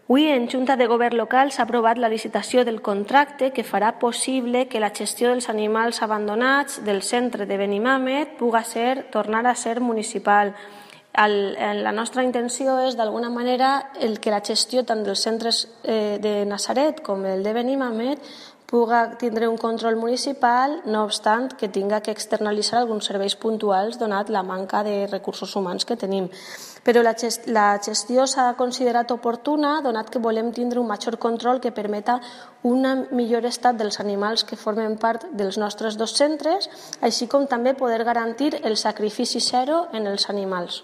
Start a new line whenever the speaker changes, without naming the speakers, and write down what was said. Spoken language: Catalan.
Avui, en Junta de Govern local, s'ha aprovat la licitació del contracte que farà possible que la gestió dels animals abandonats del centre de Benimàmet pugui tornar a ser municipal. La nostra intenció és, d'alguna manera, que la gestió tant dels centres de Natzaret com el de Benimàmet pugui tindre un control municipal, no obstant que tinga que externalitzar alguns serveis puntuals donat la manca de recursos humans que tenim. Però la gestió s'ha considerat oportuna donat que volem tindre un major control que permeta un millor estat dels animals que formen part dels nostres dos centres, així com també poder garantir el sacrifici zero en els animals.